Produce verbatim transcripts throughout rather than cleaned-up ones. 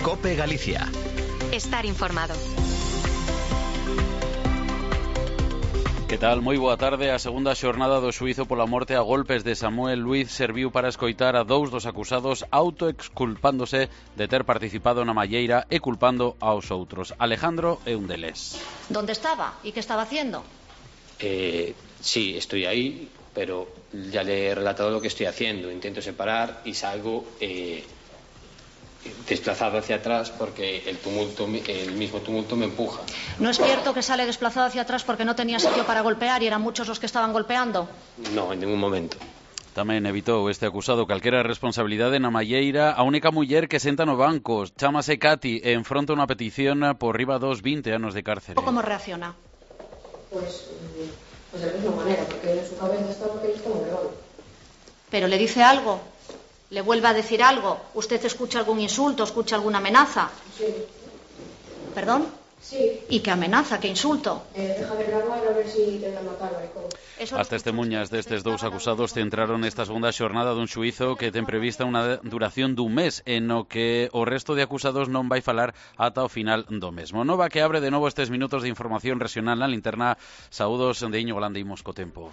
COPE Galicia. Estar informado. Que tal? Moi boa tarde. A segunda xornada do xuízo pola morte a golpes de Samuel Luiz serviu para escoitar a dous dos acusados autoexculpándose de ter participado na malleira e culpando aos outros. Alejandro é un deles. ¿Dónde estaba? ¿Y qué estaba haciendo? Eh, sí, estoy ahí, pero ya le he relatado lo que estoy haciendo. Intento separar y salgo eh, desplazado hacia atrás porque el tumulto, el mismo tumulto me empuja. ¿No es cierto que sale desplazado hacia atrás porque no tenía sitio para golpear y eran muchos los que estaban golpeando? No, en ningún momento. Tamén evitou este acusado calquera responsabilidade na malleira a única muller que senta no banco. Chámase Katy e enfronta unha petición por riba dos vinte anos de cárcere. ¿Cómo reacciona? Pues, pues de la misma manera, porque en su cabeza está lo que ellos como legal. ¿Pero le dice algo? ¿Le vuelve a decir algo? ¿Usted escucha algún insulto, escucha alguna amenaza? Sí. ¿Perdón? Sí. ¿Y qué amenaza, qué insulto? Eh, deja de grabar a ver si te van a matar, maricón. As testemunhas destes dous acusados centraron esta segunda xornada dun xuízo que ten prevista unha duración dun mes en no que o resto de acusados non vai falar ata o final do mesmo. Nova que abre de novo estes minutos de información regional na linterna. Saúdos de Iñigo Landa, imos co tempo.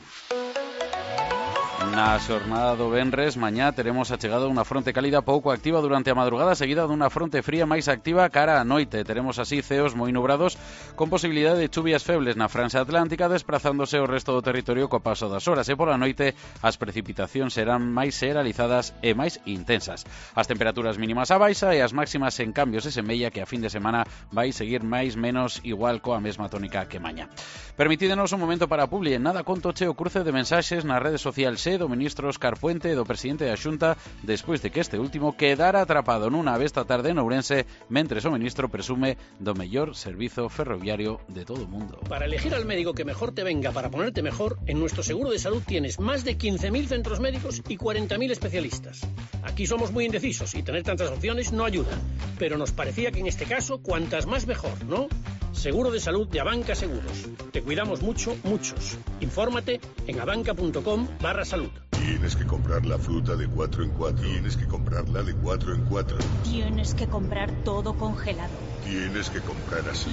Na xornada do venres, mañá teremos achegado unha fronte cálida pouco activa durante a madrugada, seguida dunha fronte fría máis activa cara á noite. Teremos así ceos moi nubrados con posibilidade de chuvias febles na franxa atlántica, desprazándose o resto do territorio co paso das horas, e pola noite as precipitacións serán máis generalizadas e máis intensas. As temperaturas mínimas á baixa e as máximas en cambio se semella que a fin de semana vai seguir máis menos igual coa mesma tónica que mañá. Permitídenos un momento para a publi. En nada conto che o cruce de mensaxes nas redes sociais do ministro Óscar Puente e do presidente da Xunta despois de que este último quedara atrapado nunha ave esta tarde en Ourense mentres o ministro presume do mellor servizo ferroviario de todo o mundo. Para elegir al médico que mejor te venga para ponerte mejor, en nuestro seguro de salud tienes más de quince mil centros médicos y cuarenta mil especialistas. Aquí somos muy indecisos y tener tantas opciones no ayuda, pero nos parecía que en este caso cuantas más mejor, ¿no? Seguro de salud de Abanca Seguros. Te cuidamos mucho, muchos. Infórmate en abanca.com barra salud. Tienes que comprar la fruta de cuatro en cuatro. Tienes que comprarla de cuatro en cuatro. Tienes que comprar todo congelado. Tienes que comprar así.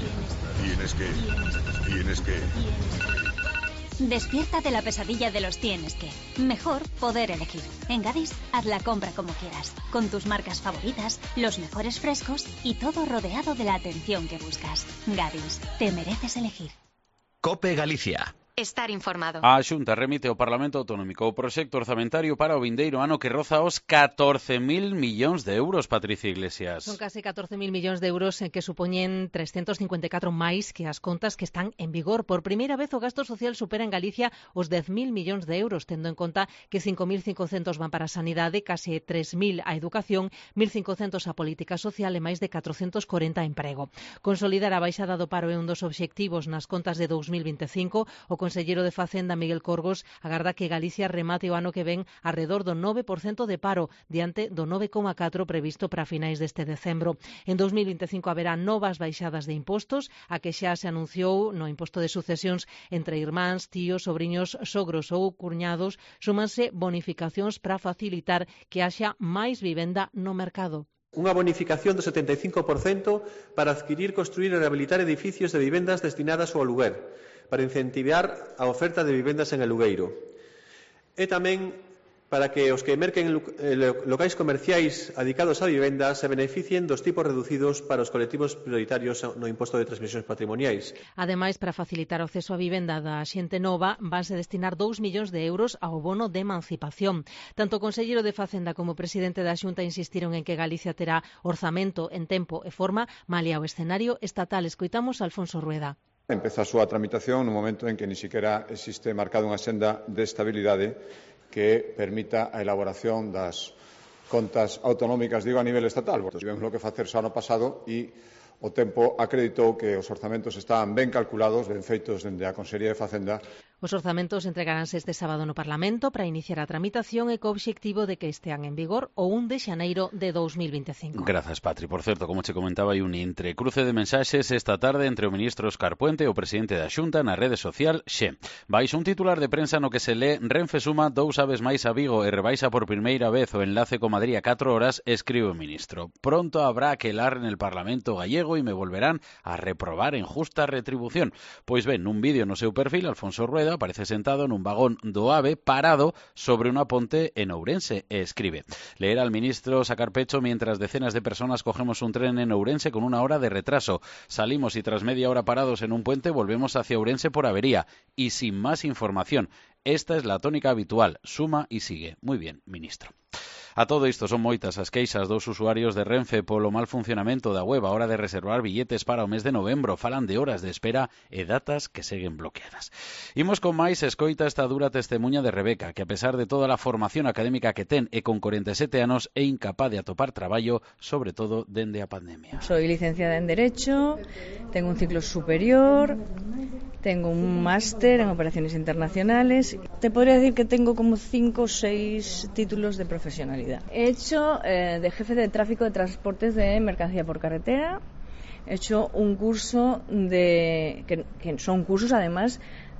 Tienes que... Tienes que... Despierta de la pesadilla de los tienes que. Mejor poder elegir. En Gadis, haz la compra como quieras, con tus marcas favoritas, los mejores frescos y todo rodeado de la atención que buscas. Gadis, te mereces elegir. COPE Galicia. Estar informado. A Xunta remite ao Parlamento Autonómico o proxecto orzamentario para o vindeiro ano que roza os catorce mil millóns de euros, Patricia Iglesias. Son case catorce mil millóns de euros que supoñen trescentos cincuenta e catro máis que as contas que están en vigor. Por primeira vez o gasto social supera en Galicia os dez mil millóns de euros, tendo en conta que cinco mil cincocentos van para a sanidade, case tres mil a educación, mil cincocentos a política social e máis de catrocentos corenta a emprego. Consolidar a baixada do paro é un dos obxectivos nas contas de dous mil vinte e cinco. O Conselleiro de Facenda, Miguel Corgos, agarda que Galicia remate o ano que ven arredor do nove por cento de paro, diante do nove coma catro por cento previsto para finais deste decembro. En dous mil vinte e cinco haberá novas baixadas de impostos, a que xa se anunciou no imposto de sucesións entre irmáns, tíos, sobriños, sogros ou cuñados, súmanse bonificacións para facilitar que haxa máis vivenda no mercado. Unha bonificación do setenta e cinco por cento para adquirir, construir e rehabilitar edificios de vivendas destinadas ao aluguer, para incentivar a oferta de vivendas en alugueiro. E tamén para que os que merquen locais comerciais adicados a vivenda se beneficien dos tipos reducidos para os colectivos prioritarios no imposto de transmisións patrimoniais. Ademais, para facilitar o acceso á vivenda da xente nova, vanse destinar dous millóns de euros ao bono de emancipación. Tanto o Conselleiro de Facenda como o presidente da Xunta insistiron en que Galicia terá orzamento en tempo e forma malia o escenario estatal. Escoitamos a Alfonso Rueda. Empeza a súa tramitación no momento en que ni siquiera existe marcada unha senda de estabilidade que permita a elaboración das contas autonómicas, digo, a nivel estatal. Tivemos lo que facer o ano pasado e o tempo acreditou que os orzamentos estaban ben calculados, ben feitos dende a Consellería de Facenda. Os orzamentos entregaránse este sábado no Parlamento para iniciar a tramitación e co obxectivo de que estean en vigor o un de xaneiro de dos mil veinticinco. Grazas, Patri. Por certo, como che comentaba, hai un entrecruce de mensaxes esta tarde entre o ministro Óscar Puente e o presidente da Xunta na rede social Xe. Vais un titular de prensa no que se lee: Renfe suma dous aves máis a Vigo e rebaixa por primeira vez o enlace co Madrid a catro horas, escribe o ministro. Pronto habrá que lar en el Parlamento gallego e me volverán a reprobar en justa retribución. Pois ben, nun vídeo no seu perfil, Alfonso Rueda aparece sentado nun vagón do AVE parado sobre unha ponte en Ourense e escribe: leer al ministro sacar pecho mientras decenas de personas cogemos un tren en Ourense con una hora de retraso. Salimos y tras media hora parados en un puente volvemos hacia Ourense por avería y sin más información. Esta es la tónica habitual. Suma y sigue. Muy bien, ministro. A todo isto son moitas as queixas dos usuarios de Renfe polo mal funcionamento da web a hora de reservar billetes para o mes de novembro. Falan de horas de espera e datas que seguen bloqueadas. Imos con máis. Escoita esta dura testemunha de Rebeca, que a pesar de toda a formación académica que ten e con corenta e sete anos é incapaz de atopar traballo, sobre todo dende a pandemia. Soy licenciada en Derecho, tengo un ciclo superior, tengo un máster en operaciones internacionales. Te podría decir que tengo como cinco o seis títulos de profesionalidad. He hecho eh, de jefe de tráfico de transportes de mercancía por carretera. He hecho un curso de que, que son cursos además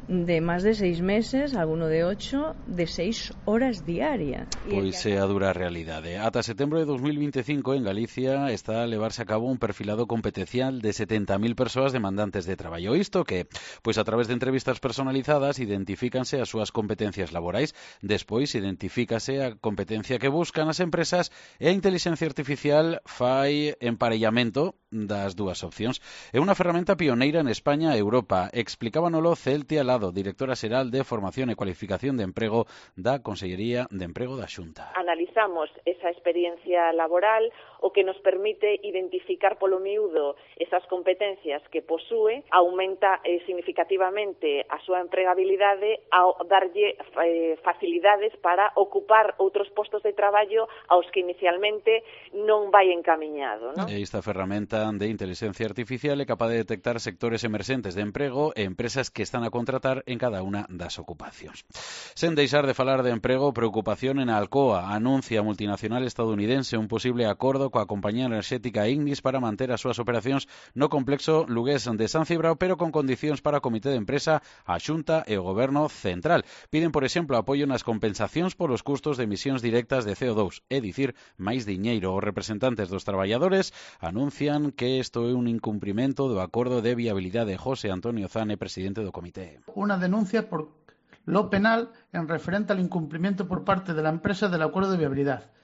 de máis de seis meses, alguno de ocho, de seis horas diarias. Pois é a dura realidade. Ata setembro de dos mil veinticinco en Galicia está a levarse a cabo un perfilado competencial de setenta mil persoas demandantes de traballo. Isto que, pois a través de entrevistas personalizadas identifícanse as súas competencias laborais, despois identifícase a competencia que buscan as empresas e a inteligencia artificial fai emparellamento das dúas opcións. É unha ferramenta pioneira en España e Europa. Explicábanolo Celtia Lado, directora xeral de Formación e Cualificación de Emprego da Consellería de Emprego da Xunta. Analizamos esa experiencia laboral, o que nos permite identificar polo miúdo esas competencias que posúe, aumenta eh, significativamente a súa empregabilidade ao darlle eh, facilidades para ocupar outros postos de traballo aos que inicialmente non vai encamiñado, non? E esta ferramenta de inteligencia artificial é capaz de detectar sectores emerxentes de emprego e empresas que están a contratar en cada unha das ocupacións. Sen deixar de falar de emprego, preocupación en Alcoa. Anuncia a multinacional estadounidense un posible acordo coa compañía enerxética Ignis para manter as súas operacións no complexo lugués de San Cibrao, pero con condicións para o comité de empresa, a Xunta e o Goberno central. Piden, por exemplo, apoio nas compensacións polos custos de emisións directas de C O dos, é dicir, máis diñeiro. Os representantes dos traballadores anuncian que isto é un incumprimento do acordo de viabilidade. José Antonio Zane, presidente do comité. Una denuncia por lo penal en referente al incumplimiento por parte de la empresa del acuerdo de viabilidad.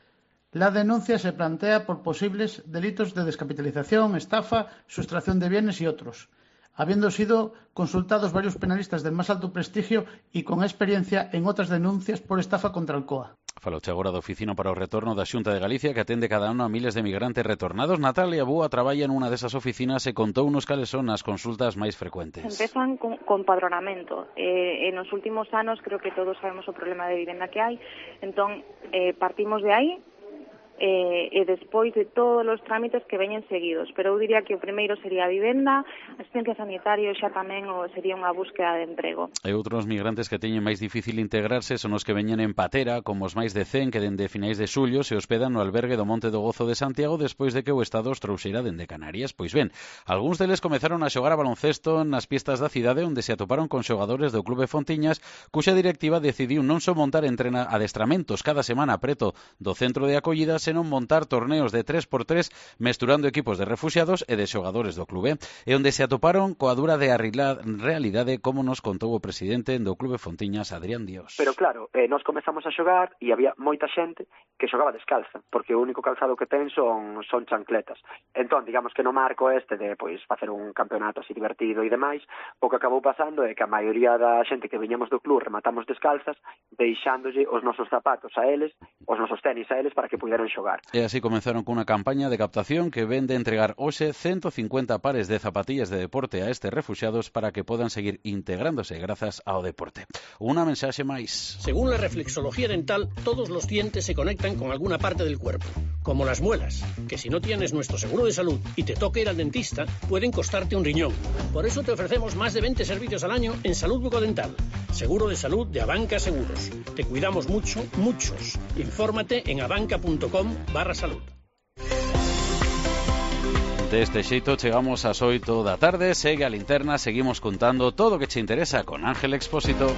La denuncia se plantea por posibles delitos de descapitalización, estafa, sustracción de bienes y otros, habiendo sido consultados varios penalistas del más alto prestigio y con experiencia en otras denuncias por estafa contra Alcoa. Faloche agora da Oficina para o Retorno da Xunta de Galicia, que atende cada ano a miles de migrantes retornados. Natalia Búa traballa nunha desas oficinas e contounos cales son as consultas máis frecuentes. Empezan con, con padronamento. Eh, en os últimos anos creo que todos sabemos o problema de vivenda que hai. Entón, eh, partimos de aí, Eh, e despois de todos os trámites que veñen seguidos, pero eu diría que o primeiro sería a vivenda, asistencia sanitaria, xa tamén o sería unha búsqueda de emprego. E outros migrantes que teñen máis difícil integrarse son os que veñen en patera, como os máis de cen que dende finais de xullo se hospedan no albergue do Monte do Gozo de Santiago despois de que o Estado os trouxera dende Canarias. Pois ben, algúns deles comezaron a xogar a baloncesto nas pistas da cidade onde se atoparon con xogadores do Clube Fontiñas, cuxa directiva decidiu non só montar entrena adestramentos cada semana preto do centro de acollida, senón montar torneos de tres por tres mesturando equipos de refuxiados e de xogadores do clube, e onde se atoparon coa dura de arreglar realidade, como nos contou o presidente do Clube Fontiñas, Adrián Dios. Pero claro, eh, nos comezamos a xogar e había moita xente que xogaba descalza, porque o único calzado que ten son, son chancletas. Entón, digamos que no marco este de pois facer un campeonato así divertido e demais, o que acabou pasando é que a maioría da xente que viñamos do club rematamos descalzas, deixándolle os nosos zapatos a eles, os nosos tenis a eles para que puderan xogar. E así comenzaron cunha campaña de captación que ven de entregar hoxe ciento cincuenta pares de zapatillas de deporte a estes refuxiados para que podan seguir integrándose grazas ao deporte. Unha mensaxe máis. Según la reflexología dental, todos los dientes se conectan con alguna parte del cuerpo. como las muelas, que si no tienes nuestro seguro de salud y te toca ir al dentista, pueden costarte un riñón. Por eso te ofrecemos más de veinte servicios al año en salud bucodental. Seguro de salud de Abanca Seguros. Te cuidamos mucho, muchos. Infórmate en abanca.com barra salud. Deste xeito chegamos ás oito da tarde. Segue a linterna, seguimos contando todo o que che interesa con Ángel Expósito.